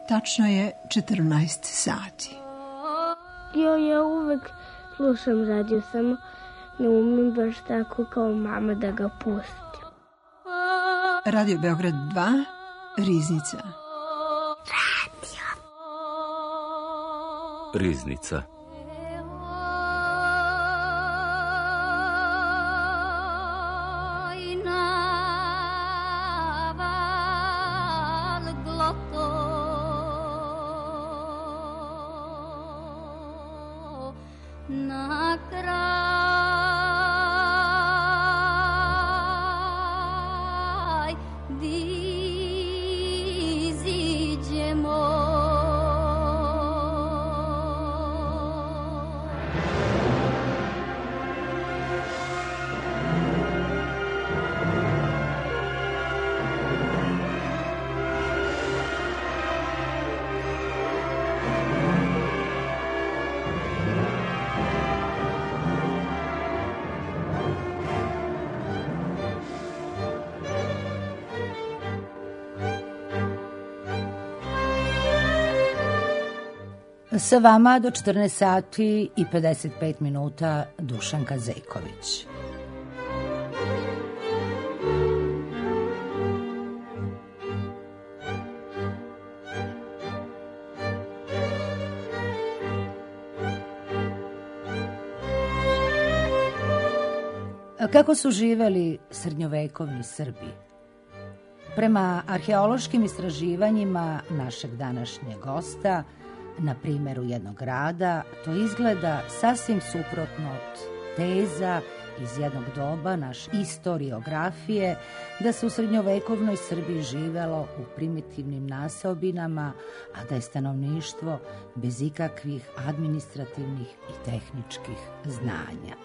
Tačno je 14 sati. Ja uvek slušam radio, samo ne umem baš tako kao mama da ga pustim. Radio Beograd 2, Riznica. Riznica. Sa vama do 14 sati i 55 minuta Dušanka Zejković. Kako su živeli srednjovekovni Srbi? Prema arheološkim istraživanjima našeg današnjeg gosta, na primjeru jednog grada, to izgleda sasvim suprotno od teza iz jednog doba naš historiografije da se u srednjovekovnoj Srbiji živelo u primitivnim naseobinama, a da je stanovništvo bez ikakvih administrativnih i tehničkih znanja.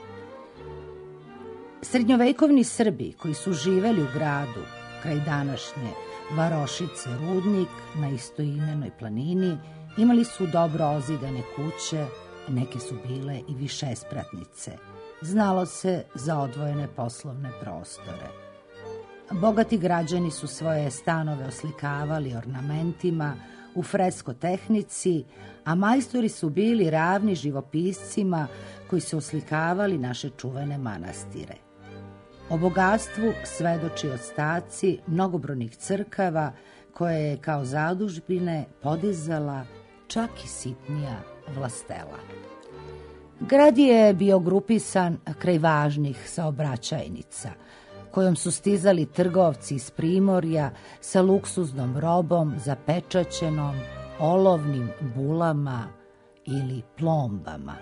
Srednjovekovni Srbi koji su živeli u gradu kraj današnje Varošice Rudnik na istoimenoj planini imali su dobro ozidane kuće, neke su bile i višespratnice. Znalo se za odvojene poslovne prostore. Bogati građani su svoje stanove oslikavali ornamentima u fresko tehnici, a majstori su bili ravni živopiscima koji su oslikavali naše čuvene manastire. O bogatstvu svedoči ostaci mnogobrojnih crkava koje je kao zadužbine podizala čak i sitnija vlastela. Grad je bio grupisan kraj važnih saobraćajnica, kojom su stizali trgovci iz Primorja sa luksuznom robom zapečaćenom olovnim bulama ili plombama.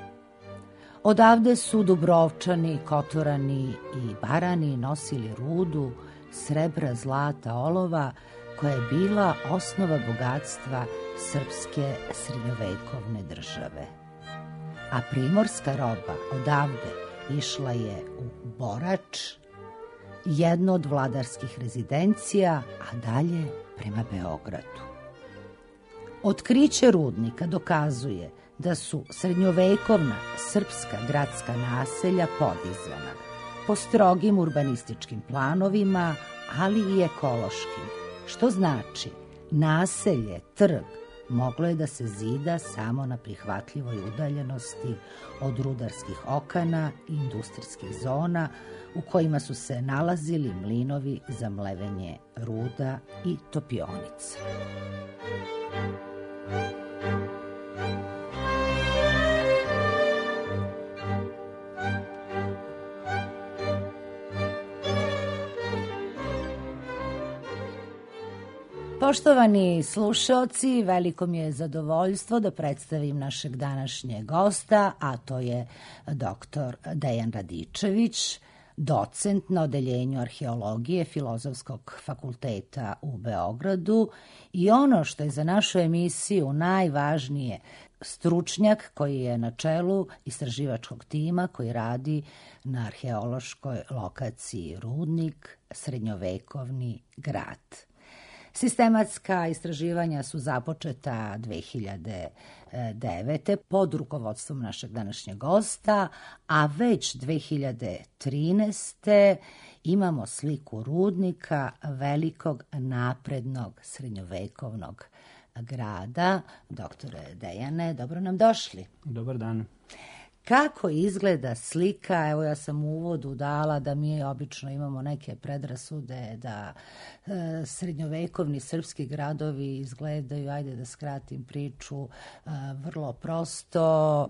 Odavde su Dubrovčani, Kotorani i Barani nosili rudu, srebra, zlata, olova, koja je bila osnova bogatstva srpske srednjovekovne države. A primorska roba odavde išla je u Borač, jedno od vladarskih rezidencija, a dalje prema Beogradu. Otkriće rudnika dokazuje da su srednjovekovna srpska gradska naselja podizana po strogim urbanističkim planovima, ali i ekološkim, što znači naselje, trg, moglo je da se zida samo na prihvatljivoj udaljenosti od rudarskih okana i industrijskih zona u kojima su se nalazili mlinovi za mlevenje ruda i topionica. Poštovani slušaoci, veliko mi je zadovoljstvo da predstavim našeg današnjeg gosta, a to je dr. Dejan Radičević, docent na odeljenju arheologije Filozofskog fakulteta u Beogradu i ono što je za našu emisiju najvažnije, stručnjak koji je na čelu istraživačkog tima koji radi na arheološkoj lokaciji Rudnik, srednjovekovni grad. Sistematska istraživanja su započeta 2009. pod rukovodstvom našeg današnjeg gosta, a već 2013. imamo sliku Rudnika, velikog naprednog srednjovekovnog grada. Doktore Dejane, dobro nam došli. Dobar dan. Kako izgleda slika? Evo, ja sam u uvodu dala da mi obično imamo neke predrasude da srednjovekovni srpski gradovi izgledaju, ajde da skratim priču, vrlo prosto,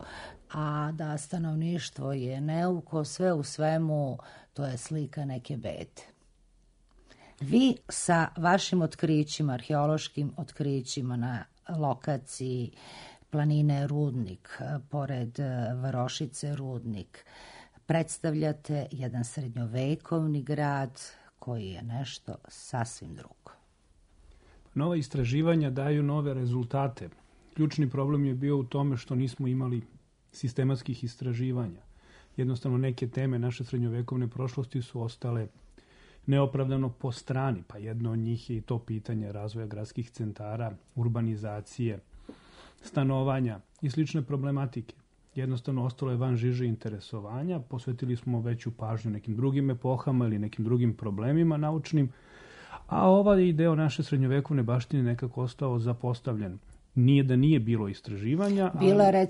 a da stanovništvo je neuko, sve u svemu to je slika neke bede. Vi sa vašim otkrićima, arheološkim otkrićima na lokaciji planine Rudnik, pored varošice Rudnik, predstavljate jedan srednjovekovni grad koji je nešto sasvim drugo. Nova istraživanja daju nove rezultate. Ključni problem je bio u tome što nismo imali sistematskih istraživanja. Jednostavno neke teme naše srednjovekovne prošlosti su ostale neopravdano po strani, pa jedno od njih je i to pitanje razvoja gradskih centara, urbanizacije, stanovanja i slične problematike. Jednostavno ostalo je van žiže interesovanja, posvetili smo veću pažnju nekim drugim epohama ili nekim drugim problemima naučnim, a ovaj deo naše srednjovekovne baštine nekako ostao zapostavljen. Nije da nije bilo istraživanja. Bilo je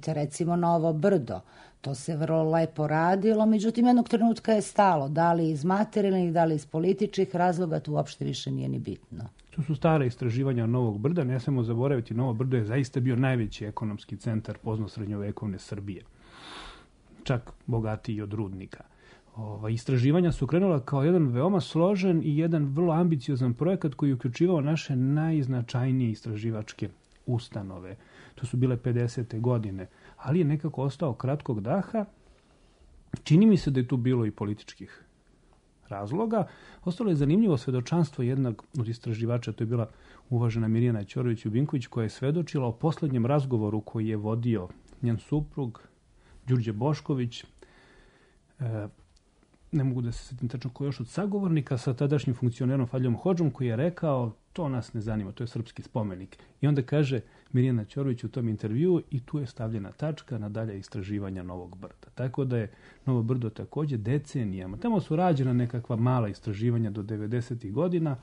recimo Novo Brdo. To se vrlo lepo radilo, međutim jednog trenutka je stalo. Da li iz materijalnih, da li iz političkih razloga, tu uopšte više nije ni bitno. To su stara istraživanja Novog Brda. Ne smemo zaboraviti, Novo Brdo je zaista bio najveći ekonomski centar pozno srednjovekovne Srbije. Čak bogatiji od Rudnika. Istraživanja su krenula kao jedan veoma složen i jedan vrlo ambiciozan projekat koji je uključivao naše najznačajnije istraživačke ustanove. To su bile 50. godine, ali je nekako ostao kratkog daha. Čini mi se da je tu bilo i političkih razloga. Ostalo je zanimljivo svedočanstvo jednog od istraživača, to je bila uvažena Mirjana Ćorović-Ljubinković, koja je svedočila o poslednjem razgovoru koji je vodio njen suprug, Đurđe Bošković, ne mogu da se setim tačno ko još od sagovornika, sa tadašnjim funkcionerom Fadljom Hodžom, koji je rekao, to nas ne zanima, to je srpski spomenik. I onda kaže Mirjana Ćorović u tom intervjuu i tu je stavljena tačka na dalje istraživanja Novog Brda. Tako da je Novo Brdo takođe decenijama. Tamo su rađena nekakva mala istraživanja do 90. godina,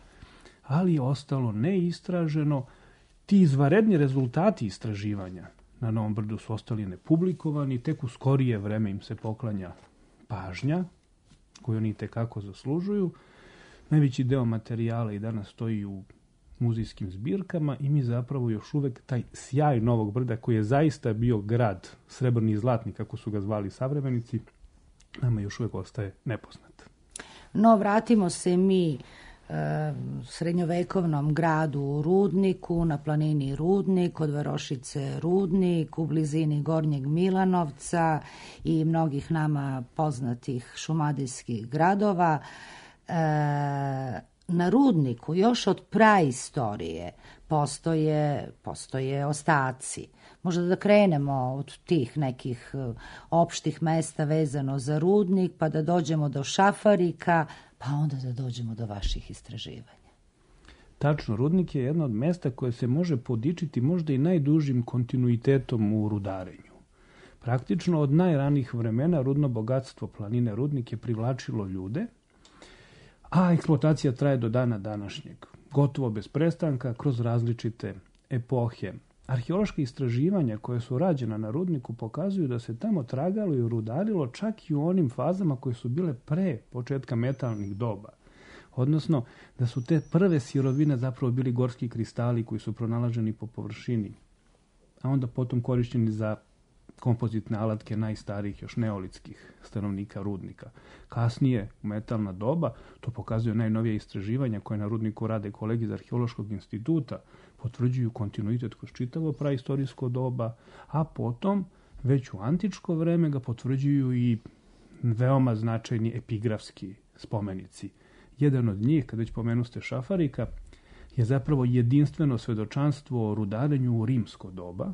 ali je ostalo neistraženo. Ti izvanredni rezultati istraživanja na Novom Brdu su ostali nepublikovani, tek u skorije vreme im se poklanja pažnja koju oni tekako zaslužuju. Najveći deo materijala i danas stoji u muzejskim zbirkama i mi zapravo još uvek taj sjaj Novog Brda, koji je zaista bio grad srebrni i zlatni, kako su ga zvali savremenici, nama još uvek ostaje nepoznat. No, vratimo se mi srednjovekovnom gradu u Rudniku, na planini Rudnik, od Varošice Rudnik, u blizini Gornjeg Milanovca i mnogih nama poznatih šumadijskih gradova. Na Rudniku još od praistorije postoje ostaci. Možda da krenemo od tih nekih opštih mesta vezano za Rudnik, pa da dođemo do Šafarika, pa onda da dođemo do vaših istraživanja. Tačno, Rudnik je jedno od mesta koje se može podičiti možda i najdužim kontinuitetom u rudarenju. Praktično od najranijih vremena rudno bogatstvo planine Rudnik je privlačilo ljude, a eksploatacija traje do dana današnjeg, gotovo bez prestanka, kroz različite epohe. Arheološka istraživanja koje su rađena na Rudniku pokazuju da se tamo tragalo i rudarilo čak i u onim fazama koje su bile pre početka metalnih doba. Odnosno, da su te prve sirovine zapravo bili gorski kristali koji su pronalaženi po površini, a onda potom korišćeni za kompozitne alatke najstarijih još neolitskih stanovnika Rudnika. Kasnije, metalna doba, to pokazuje najnovije istraživanja koje na Rudniku rade kolegi iz Arheološkog instituta, potvrđuju kontinuitet kroz čitavo praistorijsko doba, a potom, već u antičko vreme, ga potvrđuju i veoma značajni epigrafski spomenici. Jedan od njih, kad već pomenuste Šafarika, je zapravo jedinstveno svedočanstvo o rudarenju u rimsko doba.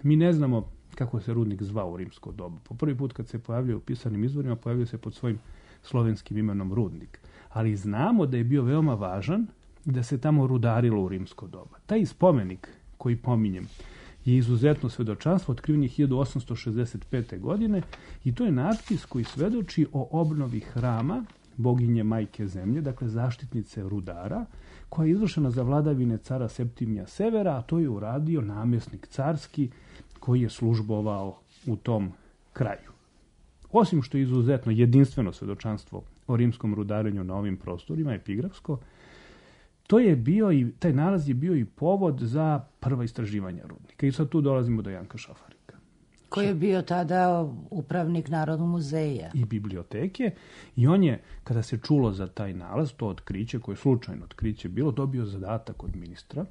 Mi ne znamo kako se Rudnik zvao u rimsko doba. Po prvi put kad se pojavljaju u pisanim izvorima, pojavljaju se pod svojim slovenskim imenom Rudnik. Ali znamo da je bio veoma važan i da se tamo rudarilo u rimsko doba. Taj spomenik koji pominjem je izuzetno svedočanstvo, otkriven je 1865. godine i to je natpis koji svedoči o obnovi hrama boginje majke zemlje, dakle zaštitnice rudara, koja je izvršena za vladavine cara Septimija Severa, a to je uradio namjesnik carski koji je službovao u tom kraju. Osim što je izuzetno jedinstveno svedočanstvo o rimskom rudarenju na ovim prostorima, epigrafsko, taj nalaz je bio i povod za prva istraživanja rudnika. I sad tu dolazimo do Janka Šafarika. Koji je bio tada upravnik Narodnog muzeja. I biblioteke. I on je, kada se čulo za taj nalaz, to otkriće, koje je slučajno otkriće bilo, dobio zadatak od ministra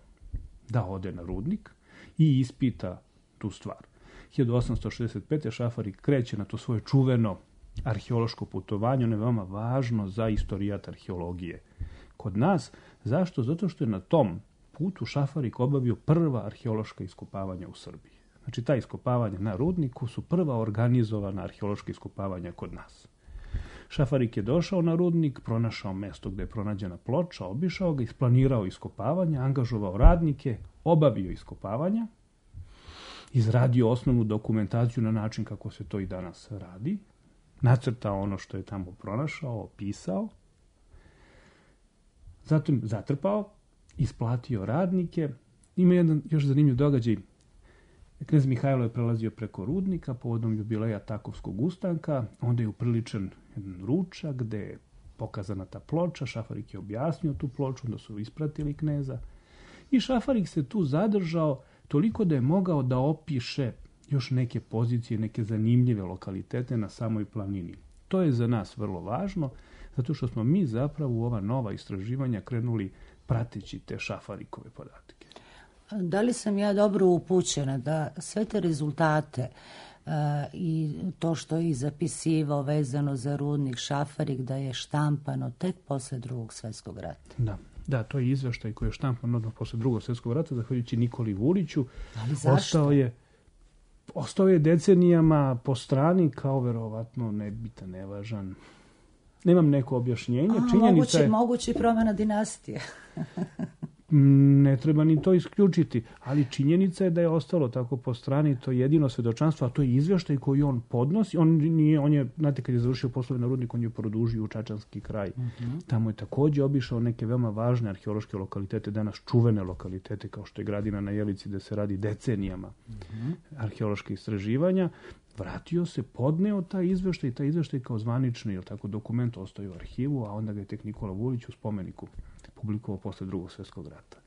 da ode na rudnik i ispita tu stvar. 1865. Šafarik kreće na to svoje čuveno arheološko putovanje. Ono je veoma važno za istorijat arheologije kod nas. Zašto? Zato što je na tom putu Šafarik obavio prva arheološka iskopavanja u Srbiji. Znači, ta iskopavanja na rudniku su prva organizovana arheološka iskopavanja kod nas. Šafarik je došao na rudnik, pronašao mesto gde je pronađena ploča, obišao ga, isplanirao iskopavanja, angažovao radnike, obavio iskopavanja, izradio osnovnu dokumentaciju na način kako se to i danas radi, nacrtao ono što je tamo pronašao, opisao, zatim zatrpao, isplatio radnike. Ima jedan još zanimljiv događaj. Knez Mihajlo je prelazio preko rudnika povodom jubileja Takovskog ustanka, onda je upriličen jedan ručak gde je pokazana ta ploča, Šafarik je objasnio tu ploču, onda su ispratili kneza i Šafarik se tu zadržao toliko da je mogao da opiše još neke pozicije, neke zanimljive lokalitete na samoj planini. To je za nas vrlo važno, zato što smo mi zapravo u ova nova istraživanja krenuli prateći te Šafarikove podatke. Da li sam ja dobro upućena da sve te rezultate i to što je zapisivao vezano za rudnik Šafarik da je štampano tek posle Drugog svjetskog rata? Da, to je izveštaj koji je štampan odmah posle Drugog svjetskog rata, zahvaljujući Nikoli Vuliću. Ali zašto? Ostao je decenijama po strani kao verovatno nebitan, nevažan. Nemam neko objašnjenje. Moguće promjena dinastije. Ne treba ni to isključiti, ali činjenica je da je ostalo tako po strani, to je jedino svedočanstvo, a to je izvještaj koji on podnosi. On je, znate, kad je završio poslove na rudnik, on je produžio u Čačanski kraj. Tamo je također obišao neke veoma važne arheološke lokalitete, danas čuvene lokalitete, kao što je Gradina na Jelici, gde se radi decenijama arheološke istraživanja. Vratio se, podneo taj izvještaj kao zvanični dokument ostaje u arhivu, a onda ga je tek Nikola Vulić u spomeniku publikovao posle Drugog svjetskog rata.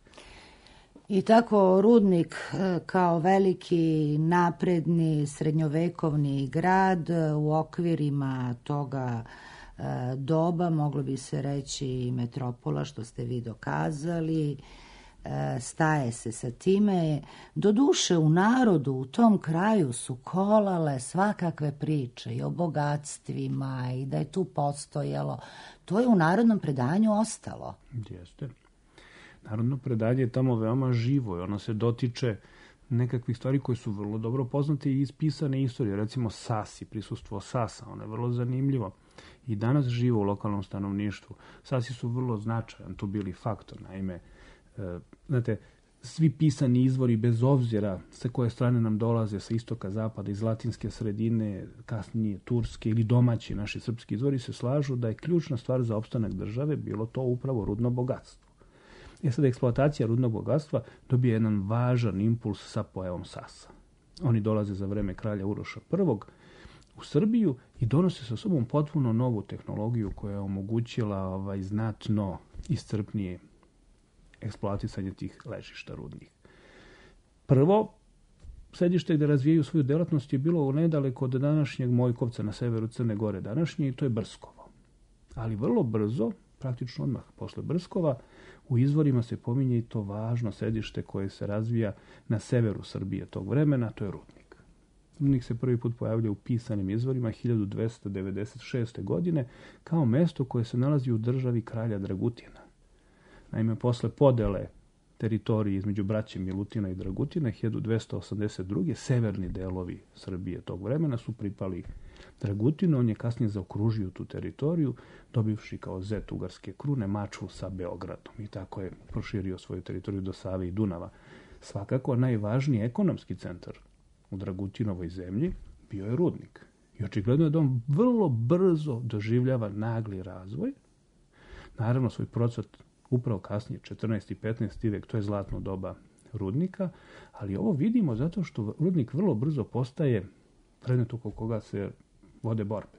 I tako rudnik kao veliki, napredni, srednjovekovni grad u okvirima toga doba, moglo bi se reći metropola, što ste vi dokazali, staje se sa time. Doduše u narodu u tom kraju su kolale svakakve priče i o bogatstvima i da je tu postojalo. To je u narodnom predanju ostalo. Jeste. Narodno predanje je tamo veoma živo i ono se dotiče nekakvih stvari koje su vrlo dobro poznate i iz pisane istorije. Recimo Sasi, prisustvo Sasa, ono je vrlo zanimljivo. I danas živo u lokalnom stanovništvu. Sasi su vrlo značajan, tu bili faktor. Naime, znate, svi pisani izvori, bez obzira sa koje strane nam dolaze, sa istoka, zapada, iz latinske sredine, kasnije turske ili domaći naši srpski izvori, se slažu da je ključna stvar za opstanak države bilo to upravo rudno bogatstvo. Sada eksploatacija rudnog bogatstva dobije jedan važan impuls sa pojavom Sasa. Oni dolaze za vreme kralja Uroša I u Srbiju i donose sa sobom potpuno novu tehnologiju koja je omogućila znatno iscrpnije eksploatisanje tih ležišta rudnih. Prvo, sedište gde razvijaju svoju delatnost je bilo nedaleko od današnjeg Mojkovca na severu Crne Gore današnje i to je Brskovo. Ali vrlo brzo, praktično odmah posle Brskova, u izvorima se pominje i to važno sedište koje se razvija na severu Srbije tog vremena, to je rudnik. Rudnik se prvi put pojavlja u pisanim izvorima 1296. godine kao mesto koje se nalazi u državi kralja Dragutina. Naime, posle podele teritorije između braće Milutina i Dragutina 1282. severni delovi Srbije tog vremena su pripali Dragutinu. On je kasnije zaokružio tu teritoriju, dobivši kao zet ugarske krune Mačvu sa Beogradom i tako je proširio svoju teritoriju do Save i Dunava. Svakako najvažniji ekonomski centar u Dragutinovoj zemlji bio je rudnik. I očigledno je da on vrlo brzo doživljava nagli razvoj. Naravno, svoj procvat upravo kasnije, 14. i 15. vek, to je zlatno doba rudnika, ali ovo vidimo zato što rudnik vrlo brzo postaje predmet oko koga se vode borbe.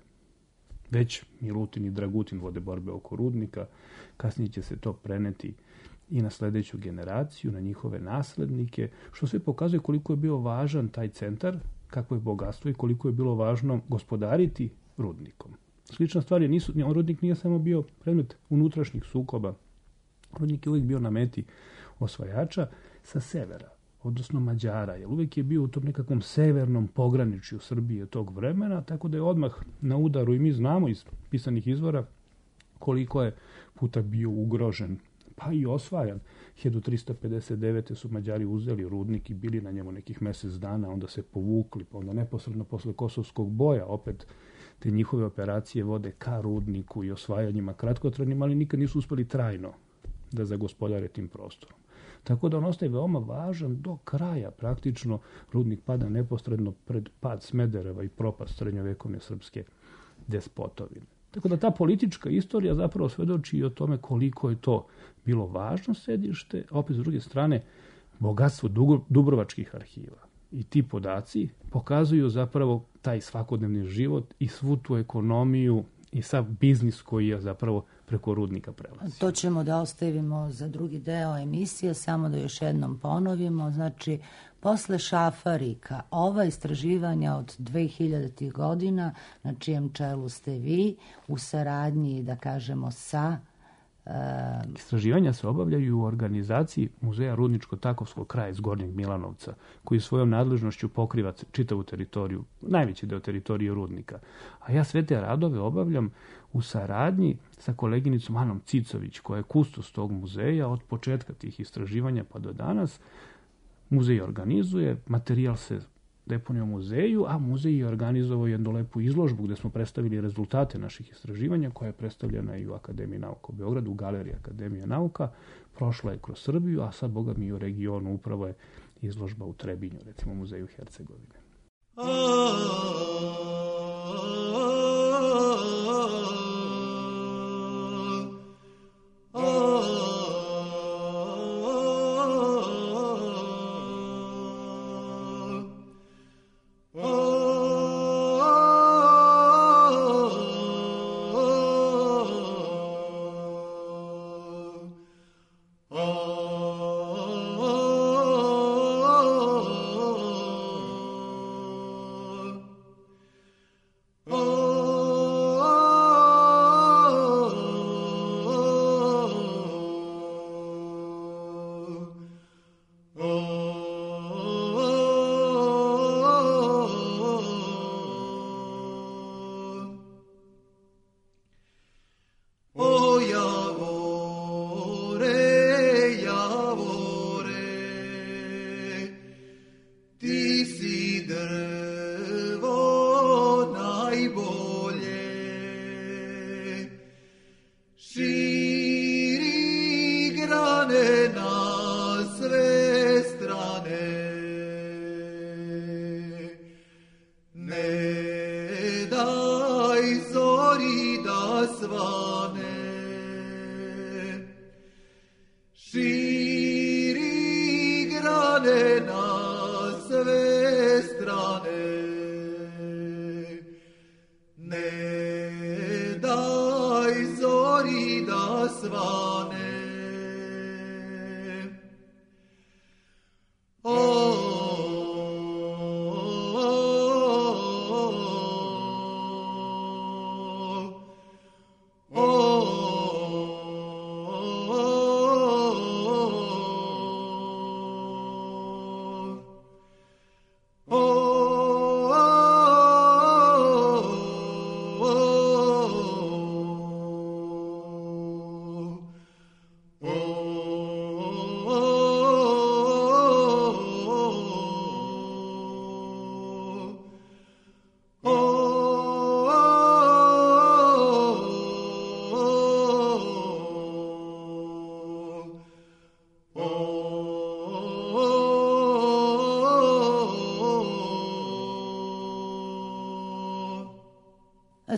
Već Milutin i Dragutin vode borbe oko rudnika, kasnije će se to preneti i na sljedeću generaciju, na njihove naslednike, što sve pokazuje koliko je bio važan taj centar, kakvo je bogatstvo i koliko je bilo važno gospodariti rudnikom. Slična stvar je, rudnik nije samo bio predmet unutrašnjih sukoba, rudnik je uvijek bio na meti osvajača sa severa, odnosno Mađara, jer uvijek je bio u tom nekakvom severnom pograničju Srbije tog vremena, tako da je odmah na udaru, i mi znamo iz pisanih izvora koliko je puta bio ugrožen, pa i osvajan. 1359. su Mađari uzeli rudnik i bili na njemu nekih mjesec dana, onda se povukli, pa onda neposredno posle Kosovskog boja opet te njihove operacije vode ka rudniku i osvajanjima kratkotrajnim, ali nikad nisu uspeli trajno da zagospodare tim prostorom. Tako da on ostaje veoma važan do kraja. Praktično rudnik pada neposredno pred pad Smedereva i propast srednjovekovne srpske despotovine. Tako da ta politička istorija zapravo svedoči i o tome koliko je to bilo važno sedište, a opet s druge strane bogatstvo dubrovačkih arhiva. I ti podaci pokazuju zapravo taj svakodnevni život i svu tu ekonomiju i sav biznis koji je zapravo preko rudnika prelazi. To ćemo da ostavimo za drugi deo emisije, samo da još jednom ponovimo. Znači, posle Šafarika, ova istraživanja od 2000. godina, na čijem čelu ste vi, u saradnji, da kažemo, sa... Istraživanja se obavljaju u organizaciji Muzeja Rudničko-Takovskog kraja iz Gornjeg Milanovca, koji svojom nadležnošću pokriva čitavu teritoriju, najveći deo teritorije rudnika. A ja sve te radove obavljam u saradnji sa koleginicom Anom Cicović, koja je kustos tog muzeja od početka tih istraživanja pa do danas. Muzej organizuje, materijal se deponija u muzeju, a muzej je organizovao jednu lepu izložbu gdje smo predstavili rezultate naših istraživanja, koja je predstavljena i u Akademiji nauka u Beogradu, u Galeriji Akademije nauka. Prošla je kroz Srbiju, a sad, boga mi, i u regionu upravo je izložba u Trebinju, recimo u muzeju Hercegovine.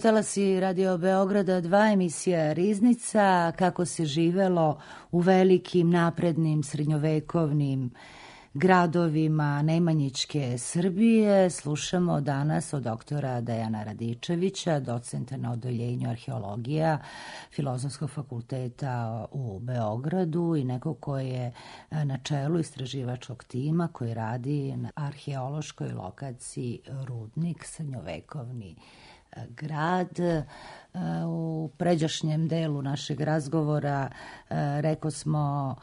Talasi Radio Beograda 2, emisija Riznica, kako se živelo u velikim, naprednim, srednjovekovnim gradovima Nemanjićke Srbije. Slušamo danas od doktora Dejana Radičevića, docenta na odeljenju arheologija Filozofskog fakulteta u Beogradu i neko ko je na čelu istraživačkog tima koji radi na arheološkoj lokaciji Rudnik, srednjovekovni grad. U pređašnjem delu našeg razgovora rekao smo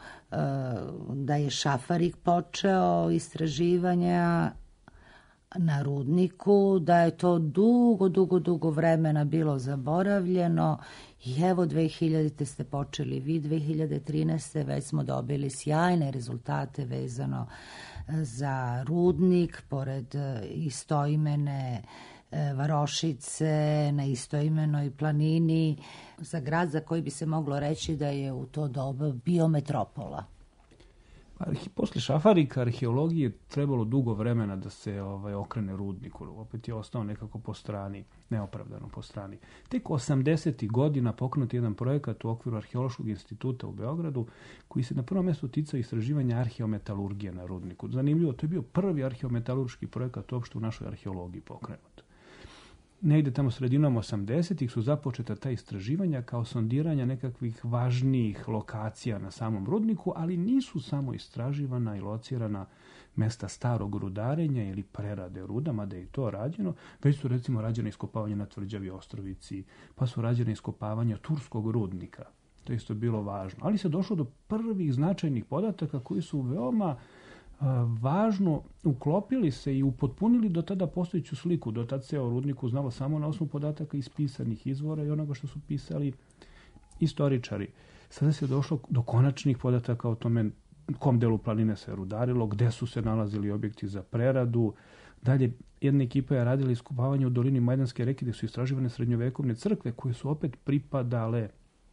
da je Šafarik počeo istraživanja na Rudniku, da je to dugo vremena bilo zaboravljeno i evo 2000. ste počeli vi, 2013. već smo dobili sjajne rezultate vezano za Rudnik, pored istoimene varošice na istoimenoj planini, za grad za koji bi se moglo reći da je u to doba bio metropola. Posle Šafarika arheologije trebalo dugo vremena da se okrene Rudniku. Opet je ostao nekako po strani, neopravdano po strani. Tek 80. godina pokrenut jedan projekat u okviru Arheološkog instituta u Beogradu koji se na prvom mjestu ticao istraživanja arheometalurgije na Rudniku. Zanimljivo, to je bio prvi arheometalurški projekat uopšte u našoj arheologiji pokrenut. Negde tamo sredinom 80-ih su započeta ta istraživanja kao sondiranja nekakvih važnijih lokacija na samom Rudniku, ali nisu samo istraživana i locirana mesta starog rudarenja ili prerade ruda, mada je i to rađeno, već su recimo rađene iskopavanja na Tvrđavi Ostrovici, pa su rađene iskopavanja Turskog rudnika. To je isto bilo važno. Ali se došlo do prvih značajnih podataka koji su veoma važno uklopili se i upotpunili do tada postojeću sliku. Do tada se o Rudniku znalo samo na osnovu podataka iz pisanih izvora i onoga što su pisali istoričari. Sada se došlo do konačnih podataka o tome kom delu planine se rudarilo, gde su se nalazili objekti za preradu. Dalje, jedna ekipa je radila iskopavanje u dolini Majdanske reke gde su istraživane srednjovekovne crkve koje su opet pripadale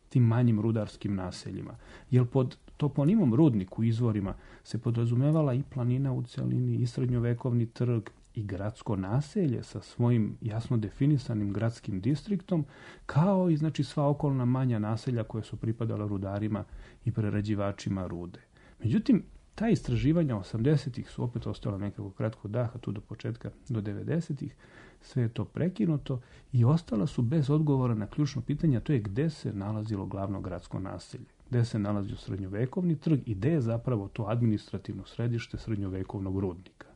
tim manjim rudarskim naseljima. Jer pod toponimom Rudnik u izvorima se podrazumevala i planina u celini, i srednjovekovni trg, i gradsko naselje sa svojim jasno definisanim gradskim distriktom, kao i znači sva okolna manja naselja koje su pripadala rudarima i prerađivačima rude. Međutim, ta istraživanja 80-ih su opet ostala nekako kratko daha, tu do početka, do 90-ih, sve je to prekinuto i ostala su bez odgovora na ključno pitanje, a to je gde se nalazilo glavno gradsko naselje, gde se nalazio srednjovekovni trg i gde je zapravo to administrativno središte srednjovekovnog Rudnika,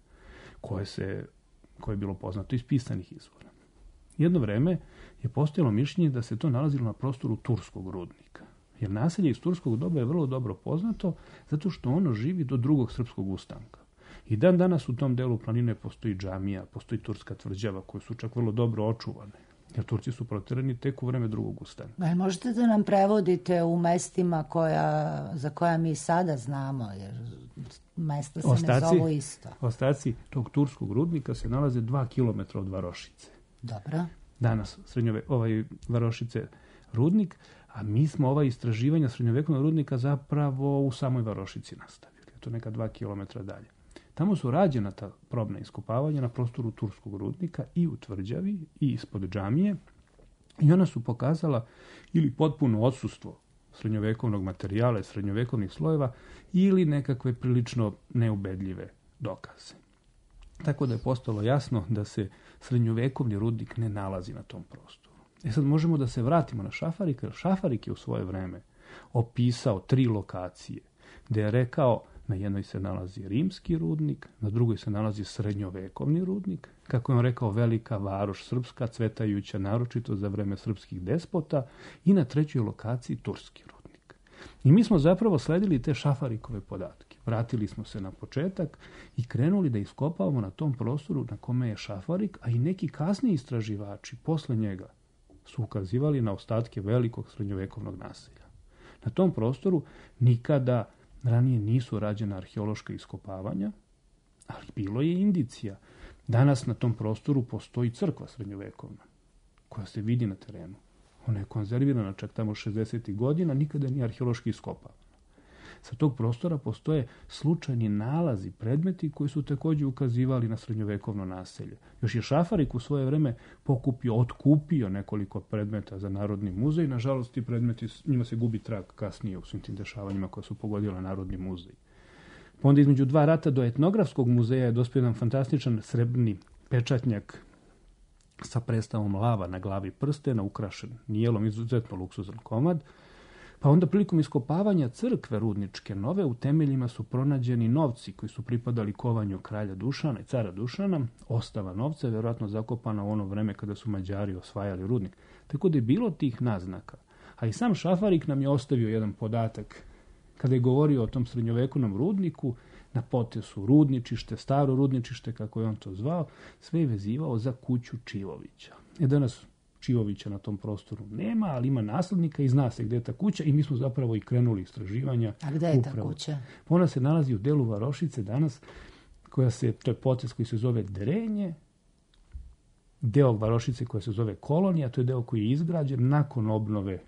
koje je bilo poznato iz pisanih izvora. Jedno vreme je postojalo mišljenje da se to nalazilo na prostoru Turskog Rudnika, jer naselje iz turskog doba je vrlo dobro poznato zato što ono živi do drugog srpskog ustanka. I dan danas u tom delu planine postoji džamija, postoji turska tvrđava koje su čak vrlo dobro očuvane. Jer Turci su proterani tek u vreme drugog ustanka. Možete da nam prevodite u mestima za koja mi sada znamo, jer mesta se ne zovu isto. Ostaci tog turskog rudnika se nalaze 2 km od Varošice. Dobro. Danas Varošice rudnik, a mi smo istraživanja srednjovekovnog rudnika zapravo u samoj Varošici nastavili. To neka 2 km dalje. Tamo su rađena ta probna iskopavanja na prostoru Turskog rudnika i u Tvrđavi i ispod džamije i ona su pokazala ili potpuno odsustvo srednjovekovnog materijala i srednjovekovnih slojeva ili nekakve prilično neubedljive dokaze. Tako da je postalo jasno da se srednjovekovni rudnik ne nalazi na tom prostoru. Sad možemo da se vratimo na Šafarika, jer Šafarik je u svoje vreme opisao 3 lokacije gde je rekao na jednoj se nalazi rimski rudnik, na drugoj se nalazi srednjovekovni rudnik, kako je on rekao velika varoš srpska, cvetajuća naročito za vreme srpskih despota, i na trećoj lokaciji turski rudnik. I mi smo zapravo sledili te Šafarikove podatke. Vratili smo se na početak i krenuli da iskopavamo na tom prostoru na kome je Šafarik, a i neki kasniji istraživači posle njega su ukazivali na ostatke velikog srednjovekovnog naselja. Na tom prostoru nikada ranije nisu rađena arheološka iskopavanja, ali bilo je indicija. Danas na tom prostoru postoji crkva srednjovekovna, koja se vidi na terenu. Ona je konzervirana čak tamo 60. godina, nikada nije arheološki iskopavana. Sa tog prostora postoje slučajni nalazi, predmeti koji su također ukazivali na srednjovekovno naselje. Još je Šafarik u svoje vreme otkupio nekoliko predmeta za Narodni muzej. Nažalost, ti predmeti, njima se gubi trag kasnije u svim tim dešavanjima koja su pogodila Narodni muzej. Pa onda između dva rata do etnografskog muzeja je dospio jedan fantastičan srebrni pečatnjak sa predstavom lava na glavi prstena, ukrašen nijelom, izuzetno luksuzan komad. Pa onda prilikom iskopavanja crkve rudničke nove u temeljima su pronađeni novci koji su pripadali kovanju kralja Dušana i cara Dušana. Ostava novca je vjerojatno zakopana u ono vreme kada su Mađari osvajali rudnik. Tako da je bilo tih naznaka. A i sam Šafarik nam je ostavio jedan podatak kada je govorio o tom srednjovekovnom rudniku. Na potesu rudničište, staro rudničište, kako je on to zvao, sve je vezivao za kuću Čivovića. Danas Čivovića na tom prostoru nema, ali ima naslednika i zna se gdje je ta kuća i mi smo zapravo i krenuli istraživanja. A gdje je ta kuća? Ona se nalazi u delu Varošice danas, to je potes koji se zove Drenje, deo Varošice koja se zove Kolonija, to je deo koji je izgrađen nakon obnove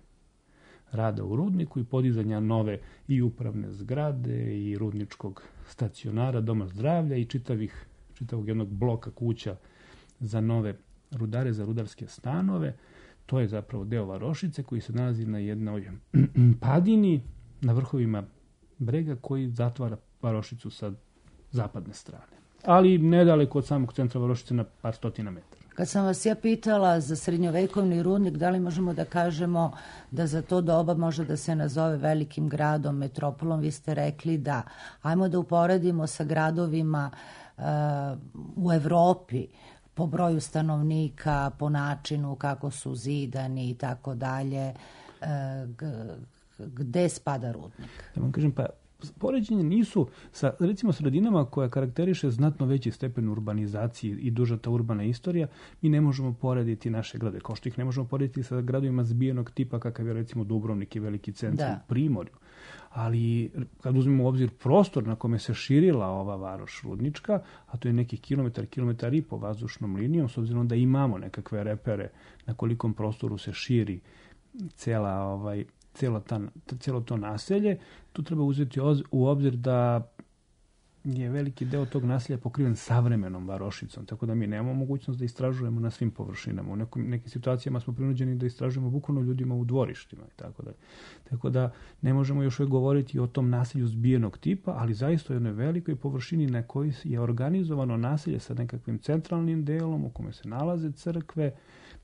rada u rudniku i podizanja nove i upravne zgrade i rudničkog stacionara, doma zdravlja i čitavog jednog bloka kuća za nove rudare, za rudarske stanove. To je zapravo deo Varošice koji se nalazi na jednoj padini na vrhovima brega koji zatvara Varošicu sa zapadne strane. Ali nedaleko od samog centra Varošice na par stotina metara. Kad sam vas ja pitala za srednjovekovni rudnik, da li možemo da kažemo da za to doba može da se nazove velikim gradom, metropolom, vi ste rekli da. Ajmo da uporedimo sa gradovima u Evropi po broju stanovnika, po načinu kako su zidani i tako dalje. Gde spada rudnik? Da vam kažem, poređenje nisu sa, recimo, sredinama koja karakteriše znatno veći stepen urbanizacije i duža ta urbana istorija. Mi ne možemo porediti naše gradove, kao što ih ne možemo porediti sa gradovima zbijenog tipa kakav je recimo Dubrovnik i veliki centar u Primorju. Ali kad uzmemo u obzir prostor na kome se širila ova varoš rudnička, a to je nekih kilometar i po vazdušnom linijom, s obzirom da imamo nekakve repere na kolikom prostoru se širi cijelo to naselje, tu treba uzeti u obzir da je veliki deo tog naselja pokriven savremenom varošicom, tako da mi nemamo mogućnost da istražujemo na svim površinama. U nekim situacijama smo prinuđeni da istražujemo bukvalno ljudima u dvorištima i tako dalje. Tako da ne možemo još uvijek govoriti o tom naselju zbijenog tipa, ali zaista o jednoj velikoj površini na kojoj je organizovano naselje sa nekakvim centralnim delom u kome se nalaze crkve,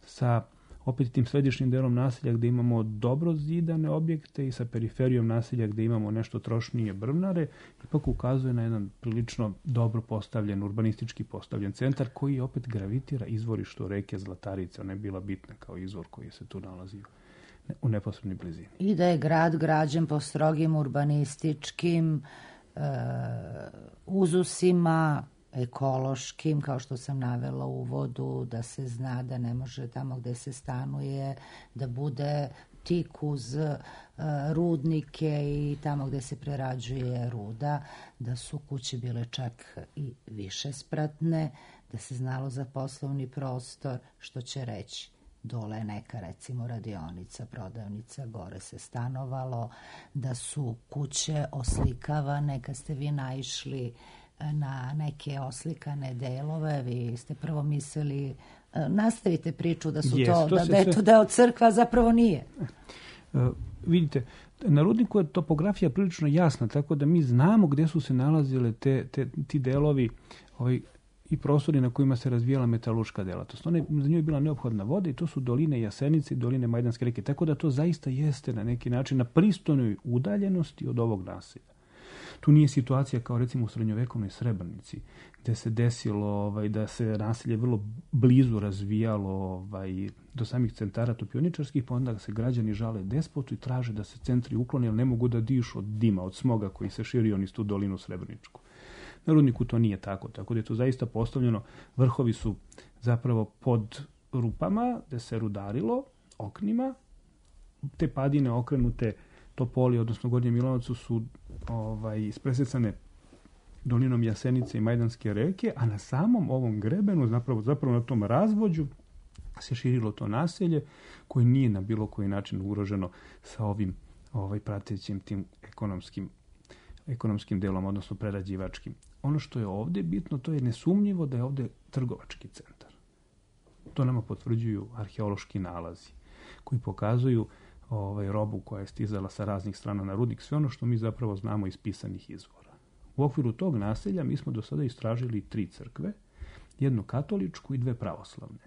sa opet tim središnjim delom naselja gdje imamo dobro zidane objekte i sa periferijom naselja gdje imamo nešto trošnije brvnare, ipak ukazuje na jedan prilično dobro postavljen, urbanistički postavljen centar koji opet gravitira izvorištu reke Zlatarice. Ona je bila bitna kao izvor koji se tu nalazi u neposrednoj blizini. I da je grad građen po strogim urbanističkim uzusima, ekološkim, kao što sam navela u uvodu, da se zna da ne može tamo gde se stanuje da bude tik uz rudnike i tamo gde se prerađuje ruda, da su kuće bile čak i više spratne, da se znalo za poslovni prostor, što će reći dole je neka recimo radionica, prodavnica, gore se stanovalo, da su kuće oslikavane, kad ste vi naišli na neke oslikane delove, vi ste prvo mislili, nastavite priču da su da je to deo crkva, zapravo nije. Vidite, na rudniku je topografija prilično jasna, tako da mi znamo gdje su se nalazile ti delovi i prostori na kojima se razvijala metalurška delatnost. Za nju je bila neophodna voda i to su doline Jasenice i doline Majdanske reke, tako da to zaista jeste na neki način na pristojnoj udaljenosti od ovog naselja. Tu nije situacija kao recimo u srednjovekovnoj Srebrenici, gdje se desilo da se naselje vrlo blizu razvijalo do samih centara topioničarskih, pa onda se građani žale despotu i traže da se centri uklone, jer ne mogu da dišu od dima, od smoga koji se širio niz tu dolinu Srebreničku. Na rudniku to nije tako da je to zaista postavljeno. Vrhovi su zapravo pod rupama gdje se rudarilo oknima, te padine okrenute Topoli, odnosno Gornjem Milanovcu su ispresecane dolinom Jasenice i Majdanske reke, a na samom ovom grebenu, zapravo na tom razvođu, se širilo to naselje koje nije na bilo koji način ugroženo sa ovim pratećim tim ekonomskim ekonomskim delom, odnosno prerađivačkim. Ono što je ovdje bitno, to je nesumnjivo da je ovdje trgovački centar. To nama potvrđuju arheološki nalazi koji pokazuju robu koja je stizala sa raznih strana na rudnik, sve ono što mi zapravo znamo iz pisanih izvora. U okviru tog naselja mi smo do sada istražili 3 crkve, jednu katoličku i 2 pravoslavne.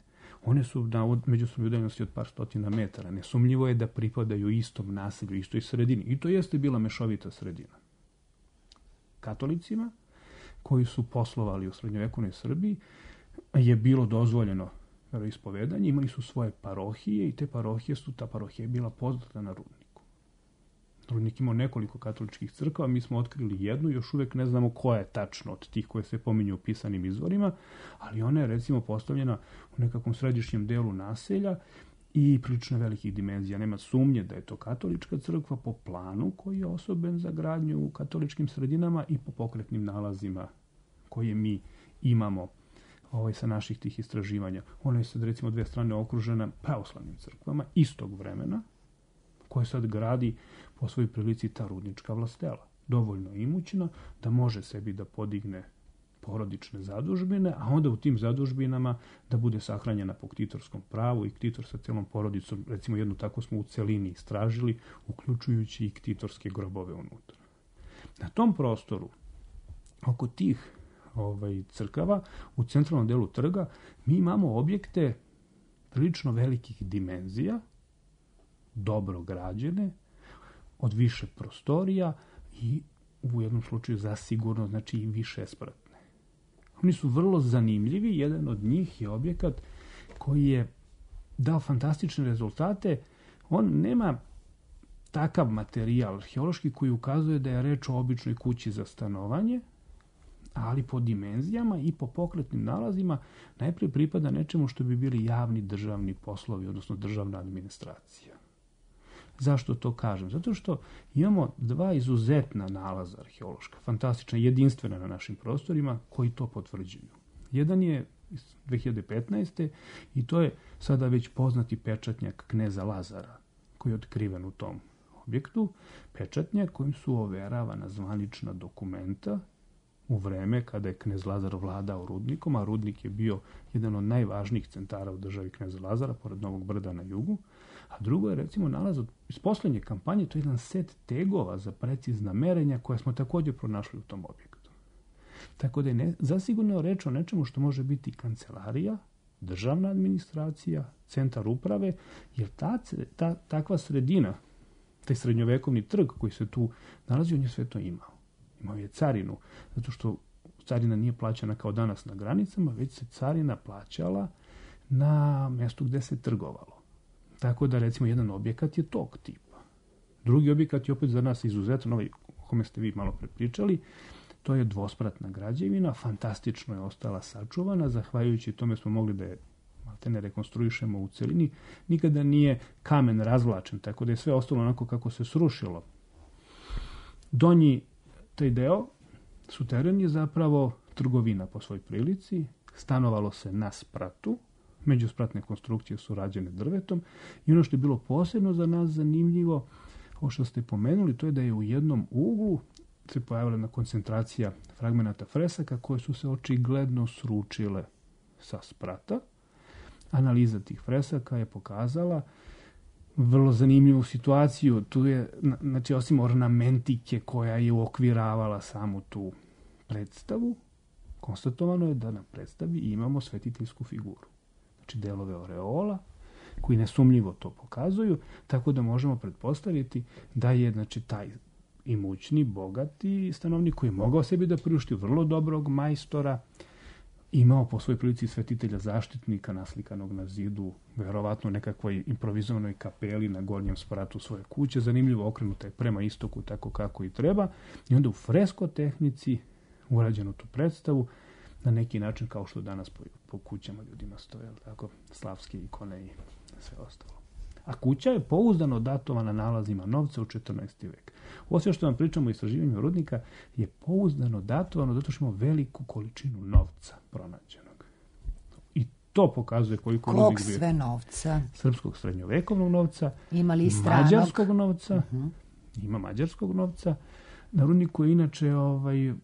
One su na međusobnoj udaljenosti od par stotina metara. Nesumnjivo je da pripadaju istom naselju, istoj sredini. I to jeste bila mešovita sredina. Katolicima, koji su poslovali u srednjovekovnoj Srbiji, je bilo dozvoljeno veroispovedanje, imali su svoje parohije i ta parohija je bila poznata na rudniku. Rudnik imao nekoliko katoličkih crkava, mi smo otkrili jednu, još uvijek ne znamo koja je tačno od tih koje se pominju u pisanim izvorima, ali ona je recimo postavljena u nekakvom središnjem delu naselja i prilično velikih dimenzija. Nema sumnje da je to katolička crkva po planu koji je osoben za gradnju u katoličkim sredinama i po pokretnim nalazima koje mi imamo sa naših tih istraživanja. Ona je sad recimo 2 strane okružena pravoslavnim crkvama istog vremena, koje sad gradi po svojoj prilici ta rudnička vlastela. Dovoljno imućna da može sebi da podigne porodične zadužbine, a onda u tim zadužbinama da bude sahranjena po ktitorskom pravu i ktitor sa celom porodicom. Recimo jednu tako smo u celini istražili, uključujući i ktitorske grobove unutra. Na tom prostoru, oko tih crkava, u centralnom delu trga, mi imamo objekte prilično velikih dimenzija, dobro građene, od više prostorija i u jednom slučaju zasigurno, znači i više spratne. Oni su vrlo zanimljivi, jedan od njih je objekat koji je dao fantastične rezultate. On nema takav materijal arheološki koji ukazuje da je reč o običnoj kući za stanovanje, ali po dimenzijama i po pokretnim nalazima najprije pripada nečemu što bi bili javni državni poslovi, odnosno državna administracija. Zašto to kažem? Zato što imamo 2 izuzetna nalaza arheološka, fantastična, jedinstvena na našim prostorima, koji to potvrđuju. Jedan je iz 2015. i to je sada već poznati pečatnjak kneza Lazara, koji je otkriven u tom objektu. Pečatnjak kojim su overavana zvanična dokumenta u vreme kada je knez Lazar vladao rudnikom, a rudnik je bio jedan od najvažnijih centara u državi kneza Lazara, pored Novog Brda na jugu. A drugo je recimo nalaz iz posljednje kampanje, to je jedan set tegova za precizna merenja koje smo također pronašli u tom objektu. Tako da je zasigurno reč o nečemu što može biti kancelarija, državna administracija, centar uprave, jer takva sredina, taj srednjovekovni trg koji se tu nalazi, on je sve to imao. Imao je carinu, zato što carina nije plaćana kao danas na granicama, već se carina plaćala na mjestu gdje se trgovalo. Tako da recimo jedan objekat je tog tipa. Drugi objekat je opet za nas izuzetan, ovaj o kome ste vi malo prepričali, to je dvospratna građevina, fantastično je ostala sačuvana, zahvaljujući tome smo mogli da je maltene rekonstruišemo u celini, nikada nije kamen razvlačen, tako da je sve ostalo onako kako se srušilo. Donji taj deo, suteren je zapravo trgovina po svoj prilici, stanovalo se na spratu, međuspratne konstrukcije su rađene drvetom i ono što je bilo posebno za nas zanimljivo, ovo što ste pomenuli, to je da je u jednom uglu se pojavila jedna koncentracija fragmenata fresaka koje su se očigledno sručile sa sprata. Analiza tih fresaka je pokazala vrlo zanimljivu situaciju. Tu je, znači, osim ornamentike koja je uokviravala samu tu predstavu, konstatovano je da na predstavi imamo svetiteljsku figuru. Znači delove oreola, koji nesumnjivo to pokazuju, tako da možemo pretpostaviti da je, znači, taj imućni, bogati stanovnik koji je mogao sebi da priušti vrlo dobrog majstora, imao po svojoj prilici svetitelja zaštitnika naslikanog na zidu, verovatno nekakvoj improvizovanoj kapeli na gornjem spratu svoje kuće, zanimljivo okrenuta je prema istoku tako kako i treba, i onda u fresko tehnici urađenu tu predstavu na neki način kao što danas po kućama ljudima stoje, tako, slavske ikone i sve ostalo. A kuća je pouzdano datovana nalazima novca u 14. vek. Ovo sve što vam pričamo o istraživanju rudnika je pouzdano datovano zato što imamo veliku količinu novca pronađenog. I to pokazuje koliko rudnik bio. Kog sve novca? Srpskog srednjovekovnog novca, ima li stranog? Mađarskog novca, ima mađarskog novca, Na rudniku je inače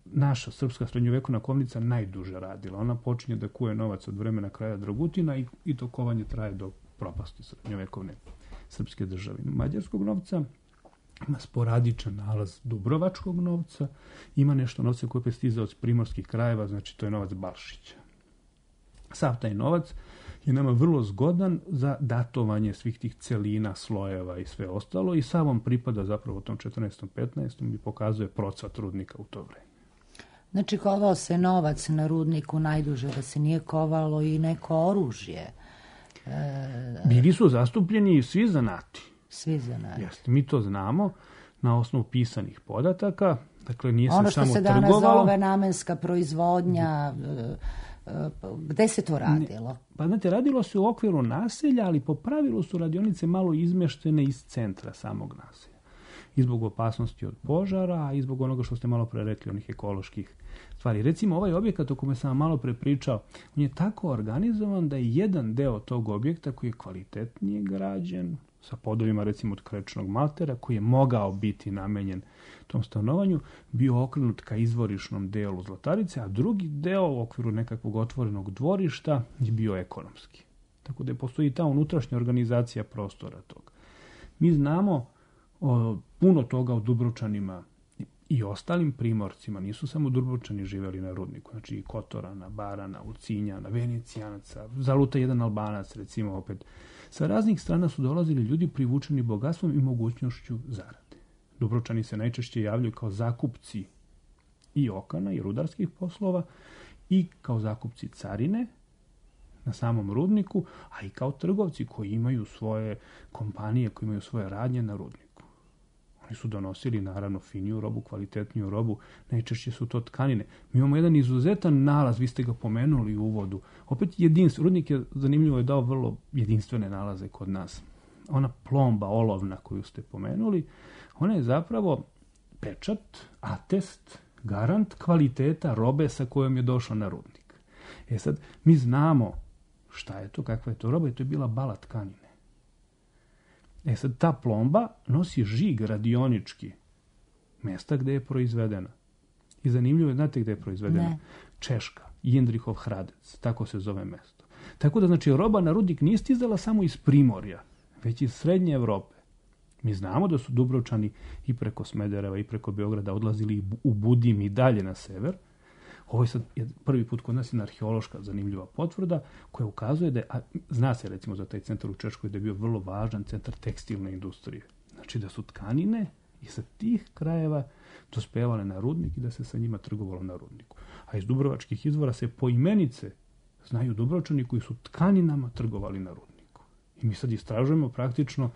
naša srpska srednjovekovna kovnica najduže radila. Ona počinje da kuje novac od vremena kraja Dragutina i to kovanje traje do propasti srednjovekovne srpske države. Mađarskog novca ima sporadičan nalaz dubrovačkog novca, ima nešto novca koji je stizao od primorskih krajeva, znači to je novac Balšića. Sav taj novac je nama vrlo zgodan za datovanje svih tih celina, slojeva i sve ostalo i samom pripada zapravo u tom 14. 15. i pokazuje procvat rudnika u to vreme. Znači, kovao se novac na rudniku najduže, da se nije kovalo i neko oružje. Bili su zastupljeni svi zanati. Svi zanati. Jeste, mi to znamo na osnovu pisanih podataka. Dakle, nije se samo trgovalo. Ono što se danas zove namenska proizvodnja, gde se to radilo? Pa znate, radilo se u okviru naselja, ali po pravilu su radionice malo izmeštene iz centra samog naselja. I zbog opasnosti od požara, i zbog onoga što ste malo pre rekli, onih ekoloških stvari. Recimo, ovaj objekat o kome sam vam malo pre pričao, on je tako organizovan da je jedan deo tog objekta koji je kvalitetnije građen, sa podovima recimo od krečnog maltera, koji je mogao biti namenjen tom stanovanju, bio okrenut ka izvorišnom delu Zlatarice, a drugi deo u okviru nekakvog otvorenog dvorišta je bio ekonomski. Tako da postoji ta unutrašnja organizacija prostora tog. Mi znamo puno toga o Dubrovčanima i ostalim primorcima. Nisu samo Dubrovčani živeli na rudniku, znači i Kotorana, Barana, Ulcinjana, Venecijanaca, zaluta jedan Albanac, recimo opet. Sa raznih strana su dolazili ljudi privučeni bogatstvom i mogućnošću zarade. Dubrovčani se najčešće javljaju kao zakupci i okana i rudarskih poslova i kao zakupci carine na samom rudniku, a i kao trgovci koji imaju svoje kompanije, koji imaju svoje radnje na rudniku. Oni su donosili, naravno, finiju robu, kvalitetniju robu, najčešće su to tkanine. Mi imamo jedan izuzetan nalaz, vi ste ga pomenuli u uvodu. Opet jedinstvo, rudnik je, zanimljivo, je dao vrlo jedinstvene nalaze kod nas. Ona plomba olovna koju ste pomenuli, ona je zapravo pečat, atest, garant kvaliteta robe sa kojom je došla na rudnik. Sad, mi znamo šta je to, kakva je to roba i to je bila bala tkanine. Sad, ta plomba nosi žig radionički mesta gde je proizvedena. I zanimljivo je, znate gde je proizvedena? Ne. Češka, Jindrihov Hradec, tako se zove mesto. Tako da, znači, roba na rudnik nije stizala samo iz Primorja, već iz Srednje Evrope. Mi znamo da su Dubrovčani i preko Smedereva i preko Beograda odlazili u Budim i dalje na sever. Ovo je sad prvi put kod nas jedna arheološka zanimljiva potvrda koja ukazuje da je, zna se recimo za taj centar u Češkoj da je bio vrlo važan centar tekstilne industrije. Znači da su tkanine i sa tih krajeva dospevale na rudnik i da se sa njima trgovalo na rudniku. A iz dubrovačkih izvora se poimenice znaju Dubrovčani koji su tkaninama trgovali na rudniku. I mi sad istražujemo praktično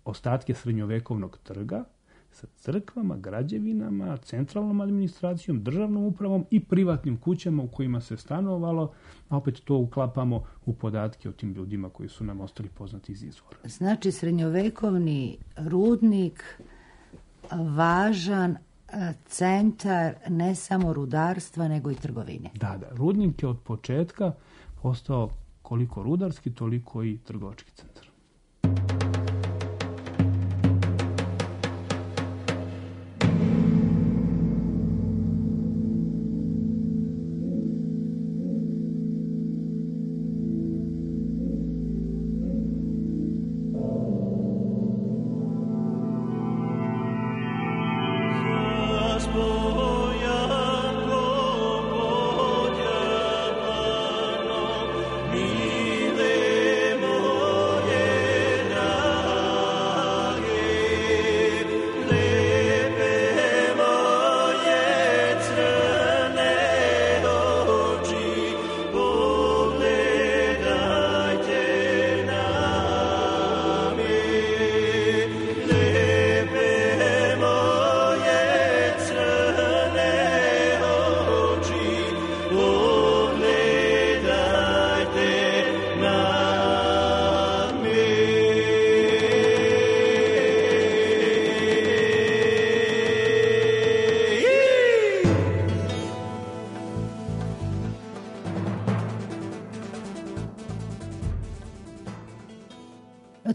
ostatke srednjovekovnog trga sa crkvama, građevinama, centralnom administracijom, državnom upravom i privatnim kućama u kojima se stanovalo, a opet to uklapamo u podatke o tim ljudima koji su nam ostali poznati iz izvora. Znači, srednjovekovni rudnik važan centar ne samo rudarstva, nego i trgovine. Da, rudnik je od početka postao koliko rudarski, toliko i trgovački centar. Mile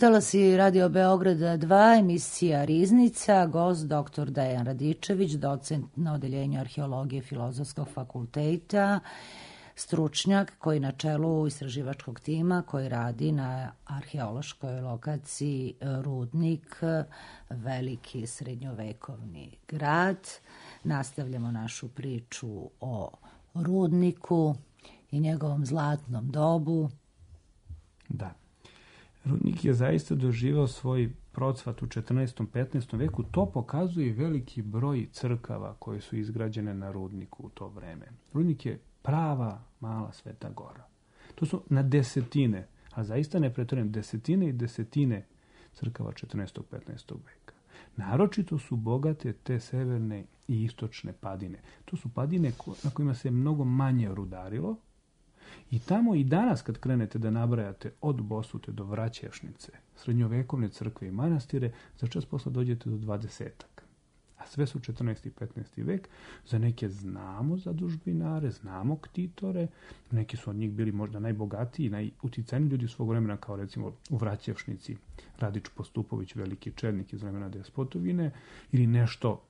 talasima Radio Beograd 2, emisija Riznica, gost dr. Dejan Radičević, docent na Odeljenju arheologije Filozofskog fakulteta, stručnjak koji na čelu istraživačkog tima koji radi na arheološkoj lokaciji Rudnik, veliki srednjovekovni grad. Nastavljamo našu priču o Rudniku i njegovom zlatnom dobu. Da. Rudnik je zaista doživao svoj procvat u 14. 15. veku. To pokazuje veliki broj crkava koje su izgrađene na Rudniku u to vreme. Rudnik je prava mala Sveta Gora. To su na desetine, a zaista ne pretvaram, desetine i desetine crkava 14. 15. veka. Naročito su bogate te severne i istočne padine. To su padine na kojima se mnogo manje rudarilo. I tamo i danas kad krenete da nabrajate od Bosute do Vraćevšnice, srednjovekovne crkve i manastire, za čas posla dođete do 20-ak. A sve su 14. i 15. vek. Za neke znamo zadužbinare, znamo ktitore, neki su od njih bili možda najbogatiji, najuticajniji ljudi svog vremena, kao recimo u Vraćevšnici Radič Postupović, veliki čelnik iz vremena Despotovine, ili nešto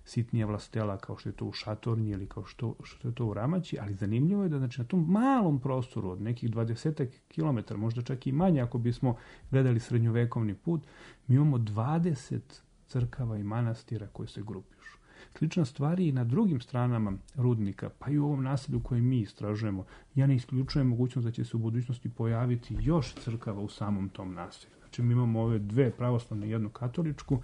sitnija vlastela kao što je to u Šatornji ili kao što je to u Ramaći, ali zanimljivo je da znači, na tom malom prostoru od nekih 20 km, možda čak i manje ako bismo gledali srednjovekovni put, mi imamo 20 crkava i manastira koji se grupišu. Slična stvar je i na drugim stranama Rudnika, pa i u ovom naselju koje mi istražujemo. Ja ne isključujem mogućnost da će se u budućnosti pojaviti još crkava u samom tom naselju. Znači mi imamo ove dve pravoslavne i jednu katoličku,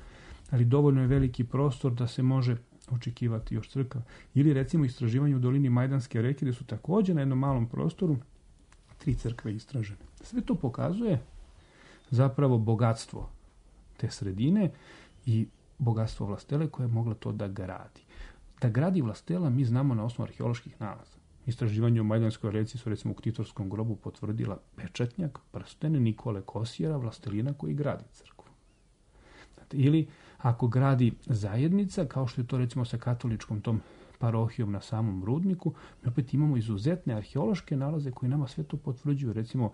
ali dovoljno je veliki prostor da se može očekivati još crkava. Ili recimo istraživanje u dolini Majdanske reke, gdje su također na jednom malom prostoru 3 crkve istražene. Sve to pokazuje zapravo bogatstvo te sredine i bogatstvo vlastele koja je mogla to da gradi. Da gradi vlastela mi znamo na osnovu arheoloških nalaza. Istraživanje u Majdanskoj reci su recimo u Ktitorskom grobu potvrdila pečatnjak, prsten Nikole Kosjera, vlastelina koji gradi crkvu. Ili ako gradi zajednica, kao što je to recimo sa katoličkom tom parohijom na samom Rudniku, mi opet imamo izuzetne arheološke nalaze koji nama sve to potvrđuju. Recimo,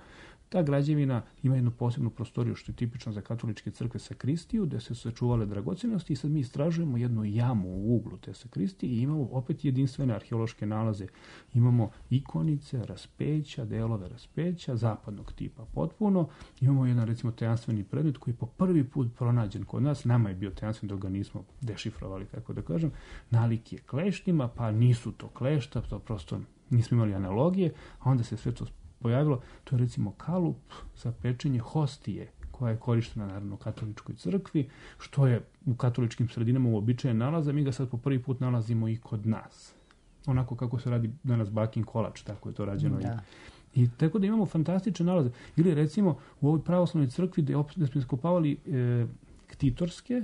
ta građevina ima jednu posebnu prostoriju što je tipično za katoličke crkve sakristiju, gde se sačuvale dragocenosti i sad mi istražujemo jednu jamu u uglu te sakristije i imamo opet jedinstvene arheološke nalaze. Imamo ikonice, raspeća, delove raspeća, zapadnog tipa potpuno. Imamo jedan recimo tajanstveni predmet koji je po prvi put pronađen kod nas. Nama je bio tajanstven dok ga nismo dešifrovali, tako da kažem. Nalik je kleštima, pa nisu to klešta, to prosto nismo imali analogije, a onda se sve to pojavilo. To je recimo kalup za pečenje hostije koja je korištena naravno u katoličkoj crkvi, što je u katoličkim sredinama uobičajen nalaz, a mi ga sad po prvi put nalazimo i kod nas. Onako kako se radi danas bakin kolač, tako je to rađeno. Da. I tako da imamo fantastične nalaze. Ili recimo u ovoj pravoslavnoj crkvi gdje smo iskopavali ktitorske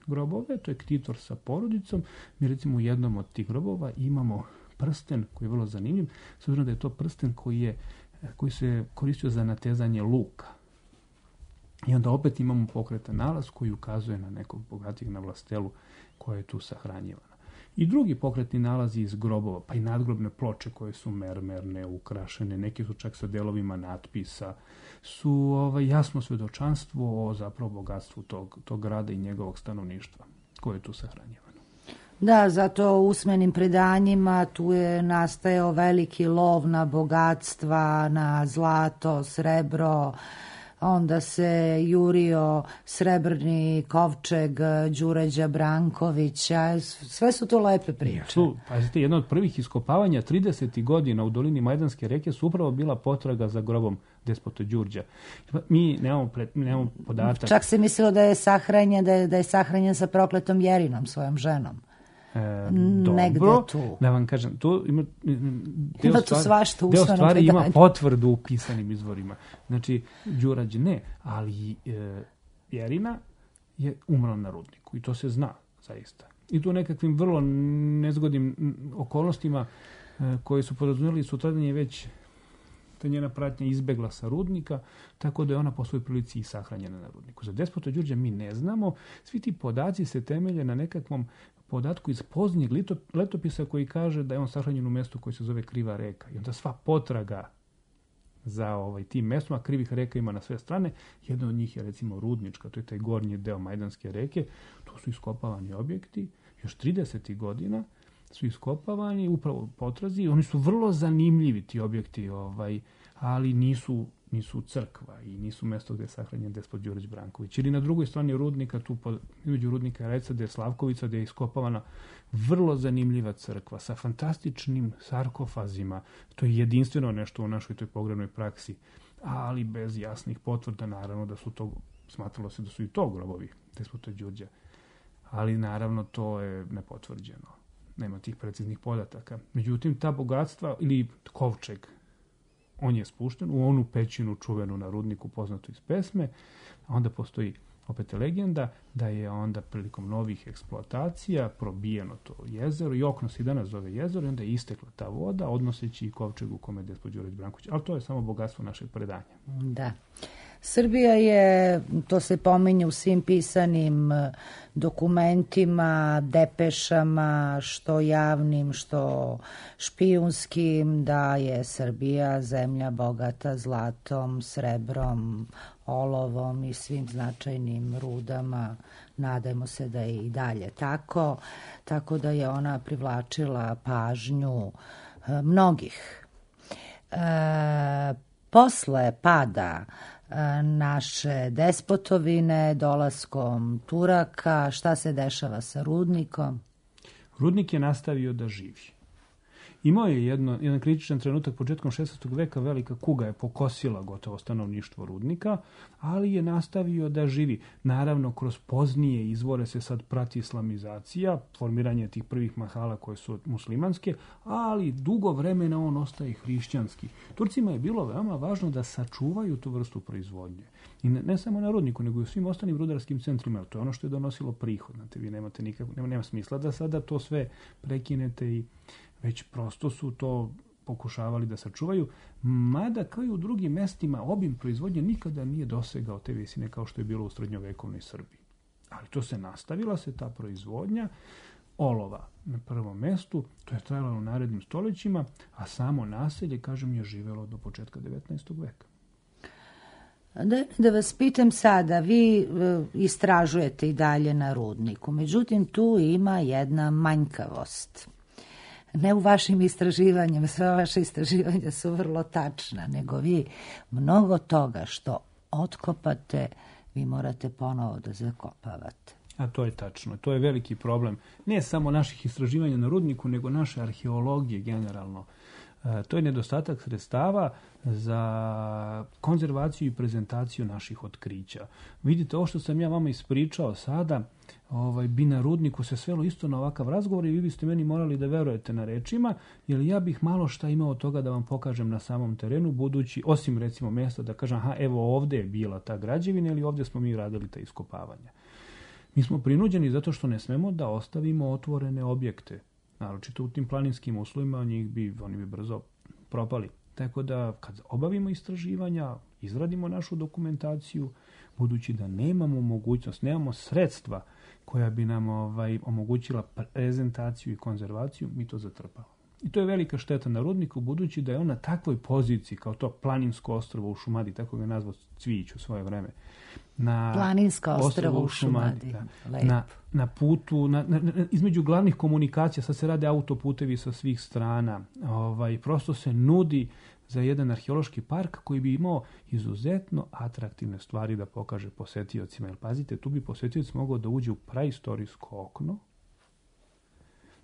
grobove, to je ktitor sa porodicom, mi recimo u jednom od tih grobova imamo prsten koji je vrlo zanimljiv, s obzirom da je to prsten koji se koristio za natezanje luka. I onda opet imamo pokretan nalaz koji ukazuje na nekog bogatijeg na vlastelu koja je tu sahranjivana. I drugi pokretni nalazi iz grobova, pa i nadgrobne ploče koje su mermerne, ukrašene, neki su čak sa delovima natpisa, su jasno svedočanstvo o zapravo bogatstvu tog grada i njegovog stanovništva koje je tu sahranjivano. Da, zato u usmenim predanjima tu je nastajao veliki lov na bogatstva, na zlato, srebro, onda se jurio srebrni kovčeg Đurađa Brankovića, sve su to lepe priče. Pazite, jedna od prvih iskopavanja 30. godina u dolini Majdanske reke su upravo bila potraga za grobom Despota Đurđa. Mi nemamo podatak. Čak se mislilo da je sahranjen sa prokletom Jerinom, svojom ženom. Dobro, da vam kažem, tu ima deo stvari ima potvrdu u pisanim izvorima. Znači, Đurađ ne, ali Jerina je umrla na Rudniku i to se zna zaista. I tu nekakvim vrlo nezgodnim okolnostima koje su podrazumijeli sutradan je već ta njena pratnja izbegla sa Rudnika, tako da je ona po svojoj prilici i sahranjena na Rudniku. Za Despota Đurđa mi ne znamo, svi ti podaci se temelje na nekakvom podatku iz poznijeg letopisa koji kaže da je on sahranjen u mjestu koje se zove Kriva reka. I onda sva potraga za tim mestom, a krivih reka ima na sve strane. Jedna od njih je recimo Rudnička, to je taj gornji deo Majdanske reke. Tu su iskopavani objekti, još 30. godina su iskopavani upravo potrazi. Oni su vrlo zanimljivi ti objekti, ali nisu crkva i nisu mesto gde je sahranjen despot Đurić Branković. Ili na drugoj strani Rudnika, tu između Rudnika i Rajca, gde je Slavkovica, gde je iskopavana vrlo zanimljiva crkva sa fantastičnim sarkofazima. To je jedinstveno nešto u našoj toj pogrebnoj praksi, ali bez jasnih potvrda, naravno da su to, smatralo se da su i to grobovi despota Đurđa. Ali naravno to je nepotvrđeno. Nema tih preciznih podataka. Međutim, ta bogatstva ili kovčeg, on je spušten u onu pećinu čuvenu na Rudniku, poznatu iz pesme, a onda postoji opet legenda da je onda prilikom novih eksploatacija probijeno to jezero i okno se i danas zove jezero i onda je istekla ta voda, odnoseći i kovčeg u kome je despot Đurić Branković. Ali to je samo bogatstvo našeg predanja. Da. Srbija je, to se pominje u svim pisanim dokumentima, depešama, što javnim, što špijunskim, da je Srbija zemlja bogata zlatom, srebrom, olovom i svim značajnim rudama. Nadajmo se da je i dalje tako. Tako da je ona privlačila pažnju mnogih. Posle pada naše despotovine, dolaskom Turaka, šta se dešava sa Rudnikom? Rudnik je nastavio da živi. Imao je jedan kritičan trenutak početkom 16. veka, velika kuga je pokosila gotovo stanovništvo Rudnika, ali je nastavio da živi. Naravno, kroz poznije izvore se sad prati islamizacija, formiranje tih prvih mahala koje su muslimanske, ali dugo vremena on ostaje hrišćanski. Turcima je bilo veoma važno da sačuvaju tu vrstu proizvodnje. I ne samo na Rudniku, nego i u svim ostalim rudarskim centrima. To je ono što je donosilo prihod. Znate, vi nema smisla da sada to sve prekinete i već prosto su to pokušavali da sačuvaju, mada kao i u drugim mestima obim proizvodnje nikada nije dosegao te visine kao što je bilo u srednjovekovnoj Srbiji. Ali to se nastavila ta proizvodnja olova na prvom mestu, to je trajalo u narednim stoljećima, a samo naselje, kažem, je živelo do početka 19. veka. Da vas pitam sada, vi istražujete i dalje na Rudniku, međutim tu ima jedna manjkavost. Ne u vašim istraživanjima, sve vaše istraživanja su vrlo tačna, nego vi mnogo toga što otkopate, vi morate ponovo da zakopavate. A to je tačno, to je veliki problem. Ne samo naših istraživanja na Rudniku, nego naše arheologije generalno. To je nedostatak sredstava za konzervaciju i prezentaciju naših otkrića. Vidite, ovo što sam ja vama ispričao sada, bi na Rudniku se svelo isto na ovakav razgovor i vi biste meni morali da verujete na rečima, jer ja bih malo šta imao od toga da vam pokažem na samom terenu, budući, osim recimo mjesta da kažem, evo ovdje je bila ta građevina ili ovdje smo mi radili ta iskopavanja. Mi smo prinuđeni zato što ne smemo da ostavimo otvorene objekte. Naročito u tim planinskim uslovima, oni bi brzo propali. Tako da kad obavimo istraživanja, izradimo našu dokumentaciju, budući da nemamo mogućnost, nemamo sredstva koja bi nam omogućila prezentaciju i konzervaciju, mi to zatrpavamo. I to je velika šteta na Rudniku, budući da je on na takvoj poziciji, kao to planinsko ostrvo u Šumadiji, tako ga je nazvao Cvijić u svoje vreme. Planinsko ostrvo u Šumadiji. Na putu, između glavnih komunikacija, sad se rade autoputevi sa svih strana. Prosto se nudi za jedan arheološki park koji bi imao izuzetno atraktivne stvari da pokaže posetiocima. Jer pazite, tu bi posetioc mogao da uđe u praistorijsko okno,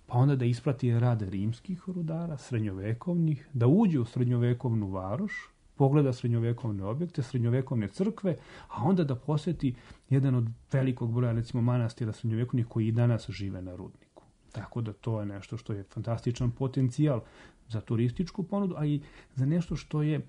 pa onda da isprati rad rimskih rudara, srednjovekovnih, da uđe u srednjovekovnu varoš, pogleda srednjovekovne objekte, srednjovekovne crkve, a onda da poseti jedan od velikog broja, recimo, manastira srednjovekovnih koji i danas žive na Rudniku. Tako da to je nešto što je fantastičan potencijal za turističku ponudu, a i za nešto što je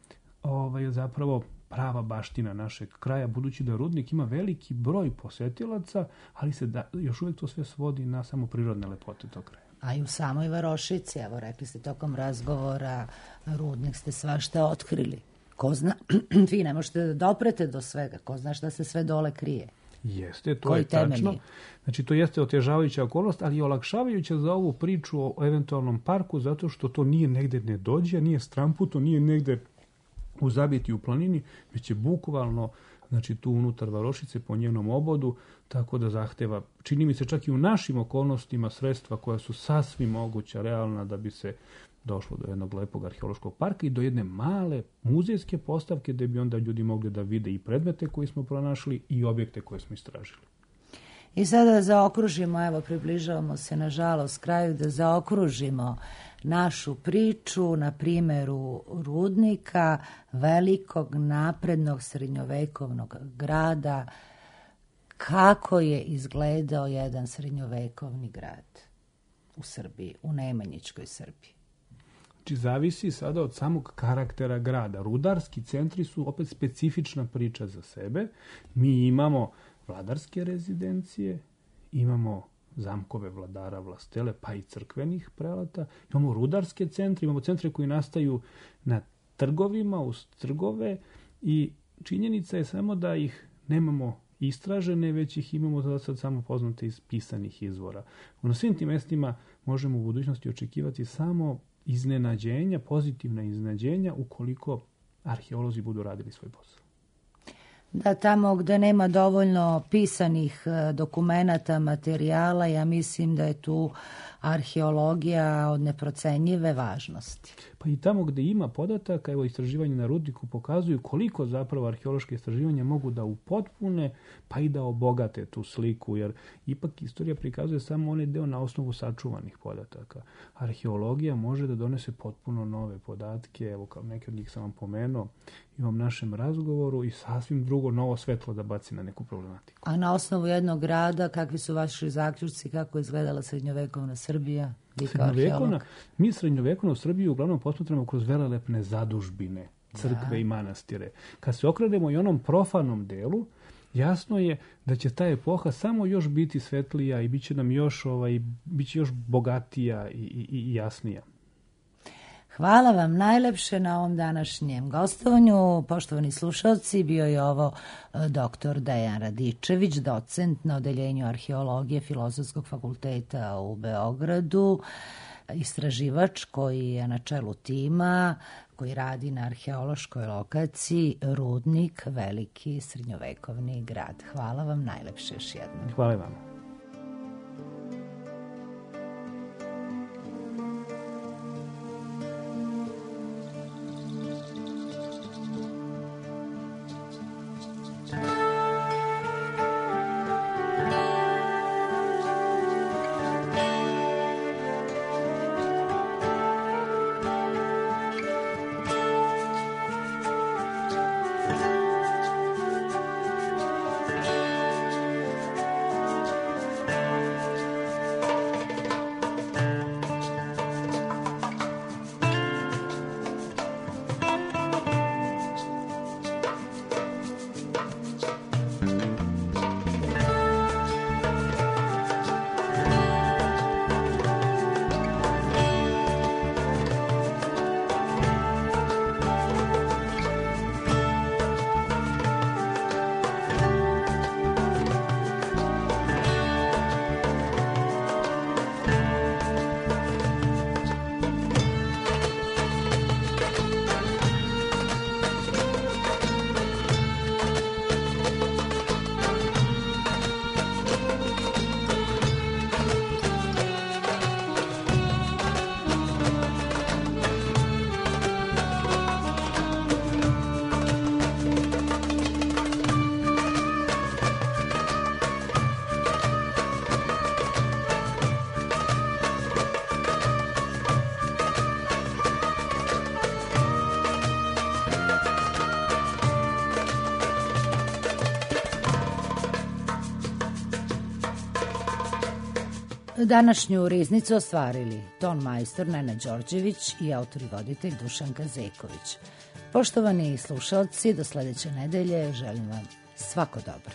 zapravo prava baština našeg kraja, budući da Rudnik ima veliki broj posetilaca, ali se još uvijek to sve svodi na samo prirodne lepote tog kraja. A i u samoj Varošici, evo rekli ste tokom razgovora, Rudnik ste svašta otkrili. Ko zna, vi ne možete da doprete do svega, ko zna šta se sve dole krije. Jeste, to je tačno. Znači, to jeste otežavajuća okolnost, ali i olakšavajuća za ovu priču o eventualnom parku, zato što to nije negde nedođe, nije stramputo, nije negde u Zabiti u planini, već je bukvalno znači tu unutar varošice po njenom obodu, tako da zahteva, čini mi se čak i u našim okolnostima, sredstva koja su sasvim moguća, realna, da bi se došlo do jednog lepog arheološkog parka i do jedne male muzejske postavke gde bi onda ljudi mogli da vide i predmete koje smo pronašli i objekte koje smo istražili. I sada zaokružimo, evo približavamo se nažalost kraju, da zaokružimo našu priču na primjeru rudnika, velikog, naprednog, srednjovekovnog grada. Kako je izgledao jedan srednjovekovni grad u Srbiji, u Nemanjićkoj Srbiji? Znači, zavisi sada od samog karaktera grada. Rudarski centri su opet specifična priča za sebe. Mi imamo vladarske rezidencije, imamo zamkove vladara vlastele, pa i crkvenih prelata, imamo rudarske centre, imamo centre koji nastaju na trgovima, uz trgove i činjenica je samo da ih nemamo istražene, već ih imamo za sad samo poznate iz pisanih izvora. Na svim tim mestima možemo u budućnosti očekivati samo iznenađenja, pozitivna iznenađenja ukoliko arheolozi budu radili svoj posao. Da, tamo gde nema dovoljno pisanih dokumenata, materijala, ja mislim da je tu arheologija od neprocenjive važnosti. Pa i tamo gde ima podataka, evo istraživanje na rudniku pokazuju koliko zapravo arheološke istraživanja mogu da upotpune, pa i da obogate tu sliku, jer ipak istorija prikazuje samo onaj deo na osnovu sačuvanih podataka. Arheologija može da donese potpuno nove podatke, evo kao neke od njih sam vam pomenuo i u ovom našem razgovoru i sasvim drugo novo svetlo da baci na neku problematiku. A na osnovu jednog grada, kakvi su vaši zaključci, kako je izgledala srednjovekovna Srbija? Mi srednjovekovnu Srbiju uglavnom posmatramo kroz velelepne zadužbine, crkve i manastire. Kad se okrenemo i onom profanom delu, jasno je da će ta epoha samo još biti svetlija i bit će nam još, biće još bogatija i jasnija. Hvala vam najlepše na ovom današnjem gostovanju. Poštovani slušalci, bio je ovo dr. Dejan Radičević, docent na Odeljenju arheologije Filozofskog fakulteta u Beogradu, istraživač koji je na čelu tima koji radi na arheološkoj lokaciji Rudnik, veliki srednjovekovni grad. Hvala vam najlepše još jednom. Hvala vam. Današnju riznicu ostvarili ton majstor Nenad Đorđević i autor i voditelj Dušan Gazeković. Poštovani slušalci, do sledeće nedelje želim vam svako dobro.